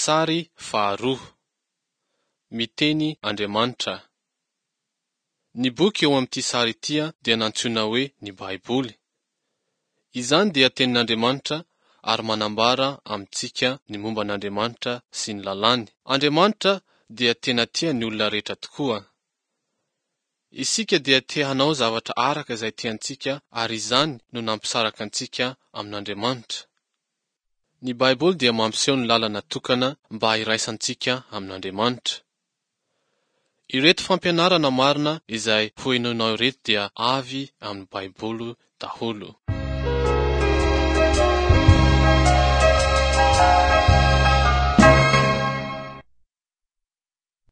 Sary faharoa. Miteny Andriamanitra. Ny boky eo amin'ity sary ity dia nantsoina hoe ny Baiboly. Izany dia tenin'Andriamanitra ary manambara amintsika ny momba an'Andriamanitra sy ny lalàny. Andriamanitra dia tena tia ny olona rehetra tokoa. Isika dia te hanao zavatra araka izay tiantsika ary izany no nampisaraka antsika amin'Andriamanitra. Ny Baiboly dia mampiseho ny lalana tokana mba hiraisantsika amin'Andriamanitra. Ireto fampianarana marina izay hohenoinao ireto dia avy amin'ny Baiboly daholo.